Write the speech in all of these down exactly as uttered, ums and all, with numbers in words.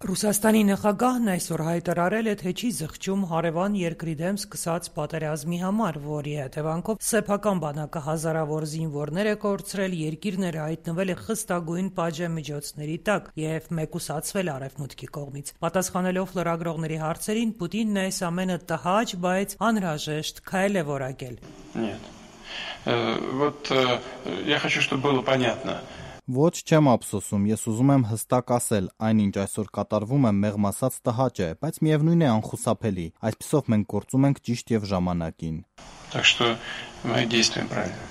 Ռուսաստանի նախագահն այսօր հայտարարել է, թե չի զղջում հարևան երկրի դեմ սկսած պատերազմի համար, որի հետևանքով սեփական բանակը հազարավոր զինվորներ է կորցրել, երկիրն հայտնվել է խստագույն պատժամիջոցների տակ եւ մեկուսացվել Արևմուտքի կողմից։ Պատասխանելով լրագրողների հարցերին, Պուտինն այս ամենը տհաճ, բայց անհրաժեշտ քայլ է որակել։ Нет. Вот я хочу, чтобы было понятно. Ոչ չեմ ափսոսում, ես ուզում եմ հստակ ասել, այնինչ այսօր կատարվում է մեղմ ասած տհաճ է, բայց միևնույն է անխուսափելի, այսպիսով մենք գործում ենք ճիշտ եւ ժամանակին։ Так что мы действуем правильно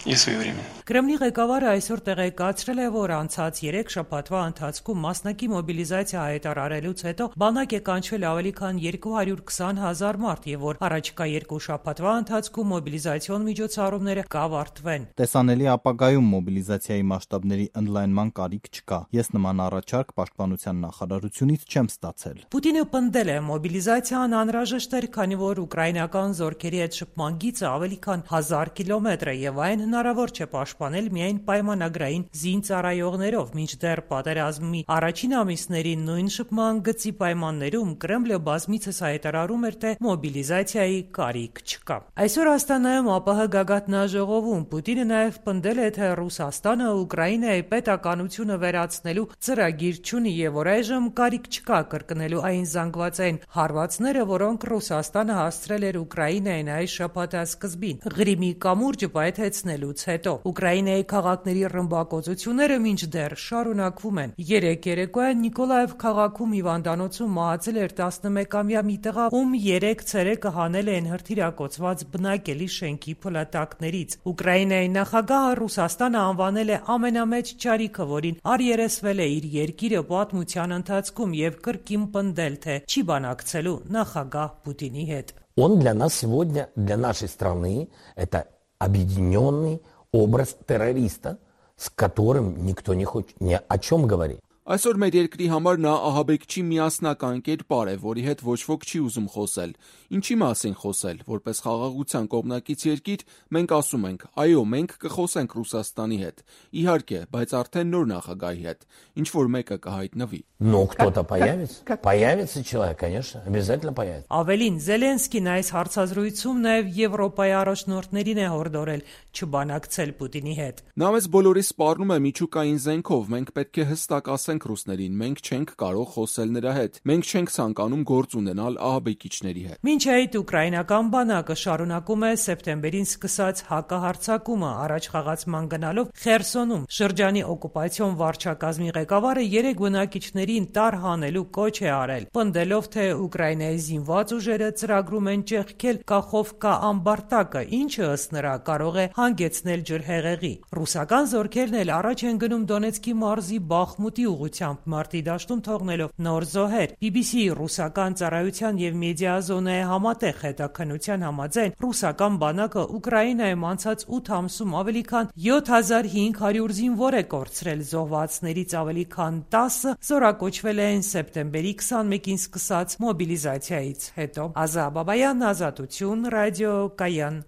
и своевременно. Կրեմլի ղեկավարը այսօր տեղեկացրել է, որ անցած երեք շաբաթվա ընթացքում մասնակի մոբիլիզացիա հայտարարելուց հետո բանակ է կանչվել ավելի քան երկու հարյուր քսան հազար մարդ եւ որ առաջիկա երկու շաբաթվա ընթացքում մոբիլիզացիոն միջոցառումները կավարտվեն։ Տեսանելի ապագայում մոբիլիզացիայի մասշտաբների ընդլայնման կարիք չկա։ Ես նման առաջարկ պաշտպանության նախարարությունից չեմ ստացել։ Պուտինը պնդել է, մոբիլիզացիան անհրաժեշտ էր, քանի որ ուկրաինական զորքերի հետ շփման գիծը ավելի քան հազար կիլոմետր է եւ այն հնարավոր չէ պաշտպանել միայն պայմանագրային զինծառայողներով, մինչդեռ պատերազմի առաջին ամիսներին նույն շփման գծի պայմաններում Կրեմլը բազմիցս հայտարարում էր, թե մոբիլիզացիայի կարիք չկա։ Այսօր Աստանայում ԱՊՀ գագաթնաժողովում Պուտինը նաև պնդել է, թե Ռուսաստանը Ուկրաինայի պետականությունը վերացնելու ծրագիր չունի եւ որ այժմ կարիք չկա կրկնելու այն զանգվածային հարվածները, որոնք Ռուսաստանը հասցրել էր Ուկրաինային այս շաբաթի սկզբին Ղրիմի կամուրջը պայթեցնելուց հետո։ Ուկրաինայի քաղաքների ռմբակոծությունները մինչդեռ շարունակվում են։ Երեկ երեկոյան Նիկոլաև քաղաքում հիվանդանոցում մահացել էր տասնմեկամյա մի տղա, ում երեք ցերեկը հանել են հրթիռակոծված բնակելի շենքի փլատակներից։ Ուկրաինայի նախագահը Ռուսաստանը անվանել է ամենամեծ ճարիքը, որին առերեսվել է իր երկիրը պատմության ընթացքում եւ կրկին պնդել, թե չի բանակցելու նախագահ Պուտինի հետ։ Он для нас сегодня, для нашей страны, это объединенный образ террориста, с которым никто не хочет ни о чем говорить. Այսօր մեր երկրի համար նա ահաբեկչի միասնական կերպար է, որի հետ ոչ ոք չի ուզում խոսել։ Ինչի մասին խոսել, որպես խաղաղության կողմնակից երկիր, մենք ասում ենք, այո, մենք կխոսենք Ռուսաստանի հետ։ Իհարկե, բայց արդեն նոր նախագահի հետ, ինչ որ մեկը կհայտնվի։ Но кто-то появится, появится человек, конечно, обязательно появится. Ավելին, Զելենսկին այս հարցազրույցում նաև Եվրոպայի առաջնորդներին է հորդորել չբանակցել Պուտինի հետ։ Նա մեզ բոլորիս սպառնում է միջուկային զենքով, մենք պետք է հստակ ասենք ռուսներին, մենք չենք կարող խոսել նրա հետ, մենք չենք ցանկանում գործ ունենալ ահաբեկիչների հետ։ Մինչ այդ ուկրաինական բանակը շարունակում է սեպտեմբերին սկսած հակահարձակումը, առաջ խաղացման գնալով Խերսոնում շրջանի օկուպացիոն վարչակազմի ղեկավարը երեք բնակիչներին տարհանելու կոչ է արել, պնդելով, թե Ուկրաինայի զինված ուժերը ծրագրում են ճեղքել Կախովկա ամբարտակը, ինչը ըստ նրա կարող է հանգեցնել ջրհեղեղի։ Ռուսական զորքերն էլ առաջ են գնում Դոնեցկի մարզի Բախմուտի ուղղությամբ մարտի դաշտում թողնելով նոր զոհեր։ բի բի սի ռուսական ծառայության եւ մեդիազոնայի համատեղ հետաքննության համաձայն ռուսական բանակը Ուկրաինայում անցած ութ ամսում ավելի քան յոթ հազար հինգ հարյուր զինվոր է կորցրել, զոհվածներից ավելի քան տասը զորակոչվել են սեպտեմբերի քսանմեկին սկսած մոբիլիզացիայից հետո։ Ազա Բաբայան, Ազատություն, Ռադիո Կայան։